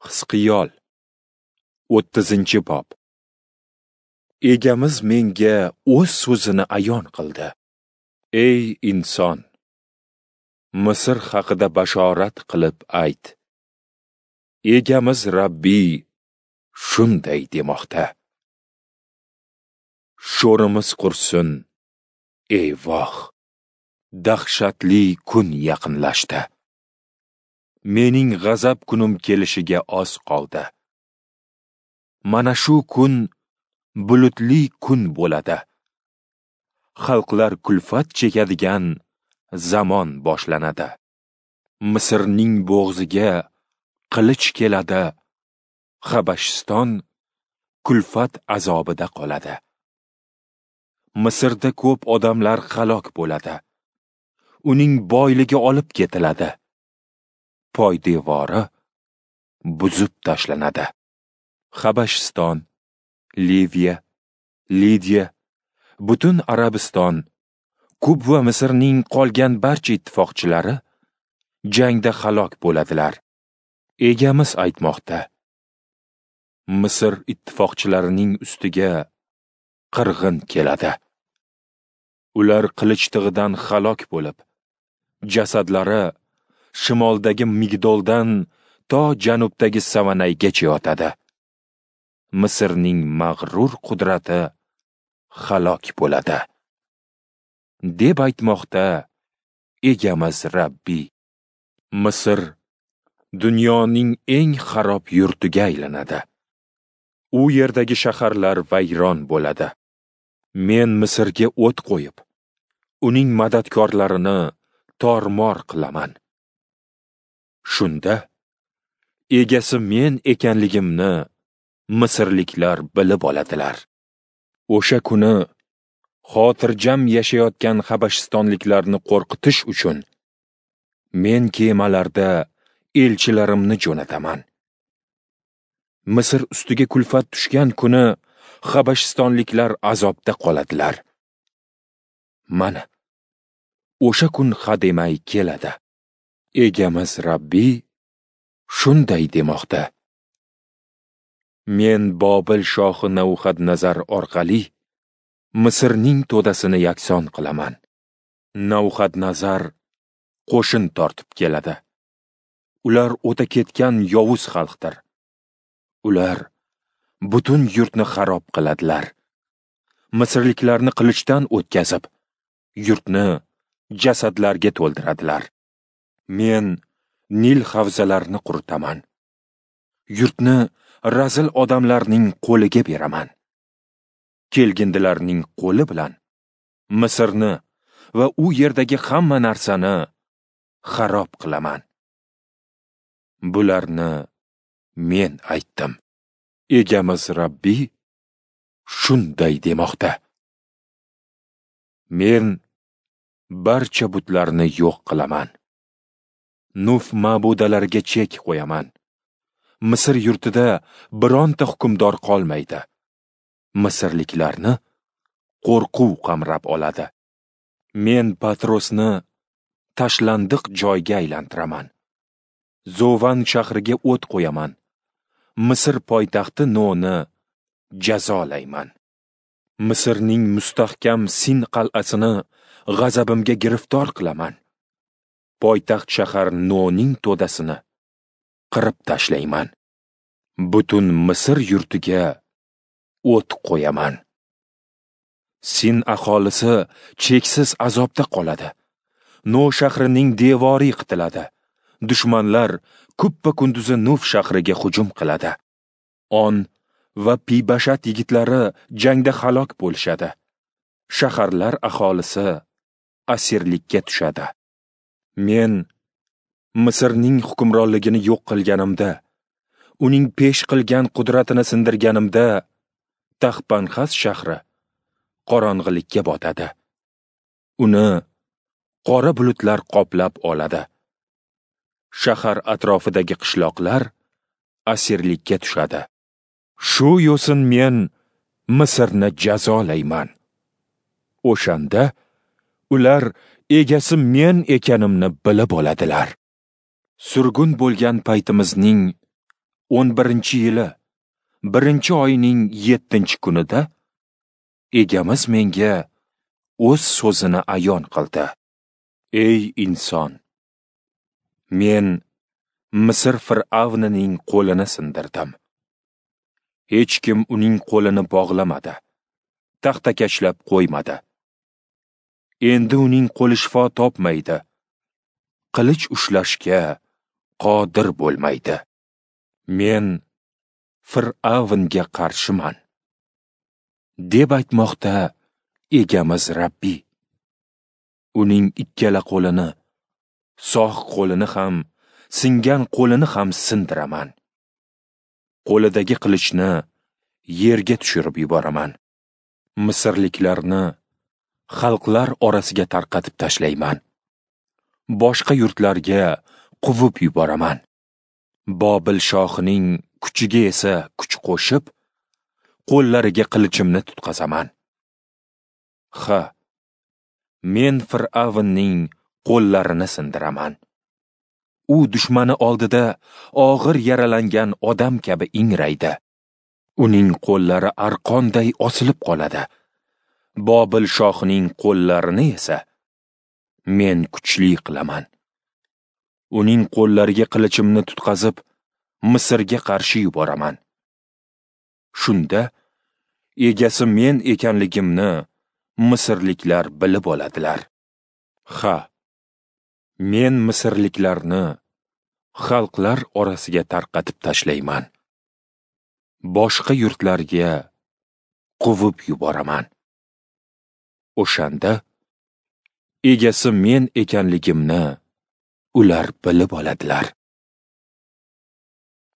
Hizqiyol 30-bob. Egamiz menga o'z so'zini ayon qildi. Ey inson, Misr haqida bashorat qilib ayt. Egamiz Rabbiy shunday demoqda: Sho'rimiz qursin, ey voh! Dahshatli kun yaqinlashdi. Mening g'azab kunim kelishiga oz qoldi. Mana shu kun bulutli kun bo'ladi. Xalqlar kulfat chekadigan zamon boshlanadi. Misrning bo'g'ziga qilich keladi. Habashiston kulfat azobida qoladi. Misrda ko'p odamlar halok bo'ladi. Uning boyligi olib ketiladi. Poydevori buzib tashlanadi. Habashiston, Liviya, Lidiya, butun Arabiston, Kub va Misrning qolgan barcha ittifoqchilari jangda halok bo'ladilar. Egamiz aytmoqda: Misr ittifoqchilarining ustiga qirg'in keladi. Ular qilich tig'idan halok bo'lib, jasadlari shimoldagi Migdoldan to janubdagi Savanaygacha yotadi. Misrning mag'rur qudrati halok bo'ladi, deb aytmoqda Egamiz Rabbiy. Misr dunyoning eng xarob yurtiga aylanadi. U yerdagi shaharlar vayron bo'ladi. Men Misrga o't qo'yib, uning madadkorlarini tormor qilaman. Shunda egasi men ekanligimni misrliklar bilib oladilar. O'sha kuni xotirjam yashayotgan habashistonliklarni qo'rqitish uchun men kemalarda elchilarimni jo'nataman. Misr ustiga kulfat tushgan kuni habashistonliklar azobda qoladilar. Mana o'sha kun hademay keladi. Egamiz Rabbiy shunday demoqda: Men Bobil shohi Navuxadnazar orqali Misrning to'dasini yakson qilaman. Navuxadnazar qo'shin tortib keladi. Ular o'ta ketgan yovuz xalqdir. Ular butun yurtni xarob qiladilar. Misrliklarni qilichdan o'tkazib, yurtni jasadlarga to'ldiradilar. Men Nil havzalarini quritaman. Yurtni razil odamlarning qo'liga beraman. Kelgindilarning qo'li bilan Misrni va u yerdagi hamma narsani xarob qilaman. Bularni men aytdim. Egamiz Rabbiy shunday demoqda: Men barcha butlarni yo'q qilaman. Nuf ma'budalariga chek qo'yaman. Misr yurtida bironta hukmdor qolmaydi. Misrliklarni qo'rquv qamrab oladi. Men Patrosni tashlandiq joyga aylantiraman. Zovan shahriga o't qo'yaman. Misr poytaxti Noni jazolayman. Misrning mustahkam Sin qal'asini g'azabimga giriftor qilaman. Poytaxt shahar Noning to'dasini qirib tashlayman. Butun Misr yurtiga o't qo'yaman. Sin aholisi cheksiz azobda qoladi. No shahrining devori yiqitiladi. Dushmanlar kuppa-kunduzi Nuf shahriga hujum qiladi. On va Pibashat yigitlari jangda halok bo'lishadi. Shaharlar aholisi asirlikka tushadi. Men Misrning hukmronligini yo'q qilganimda, uning pesh qilgan qudratini sindirganimda, Taxpanxas shahri qorong'ilikka botadi. Uni qora bulutlar qoplab oladi. Shahar atrofidagi qishloqlar asirlikka tushadi. Shu yo'sin men Misrni jazolayman. O'shanda ular egasi men ekanimni bilib oladilar. Surgun bo'lgan paytimizning 11-yili, 1-oyning 7-kunida Egamiz menga o'z so'zini ayon qildi. Ey inson, men Misr fir'avnining qo'lini sindirdim. Hech kim uning qo'lini bog'lamadi, taxtakachlab qo'ymadi. Endi uning qo'li shifo topmaydi, qilich ushlashga qodir bo'lmaydi. Men Fir'avnga qarshiman, deb aytmoqda Egamiz Rabbiy. Uning ikkala qo'lini, sog' qo'lini ham, singan qo'lini ham sindiraman. Qo'lidagi qilichni yerga tushirib yuboraman. Misrliklarni xalqlar orasiga tarqatib tashlayman. Boshqa yurtlarga quvib yuboraman. Bobil shohining kuchiga esa kuch qo'shib, qo'llariga qilichimni tutqazaman. Ha, men Fir'avnning qo'llarini sindiraman. U dushmani oldida og'ir yaralangan odam kabi ingraydi. Uning qo'llari arqonday osilib qoladi. Bobil shohining qo'llarini esa men kuchli qilaman. Uning qo'llariga qilichimni tutqazib, Misrga qarshi yuboraman. Shunda egasi men ekanligimni misrliklar bilib oladilar. Ha, men misrliklarni xalqlar orasiga tarqatib tashlayman. Boshqa yurtlarga quvib yuboraman. O'shanda egasi men ekanligimni ular bilib oladilar.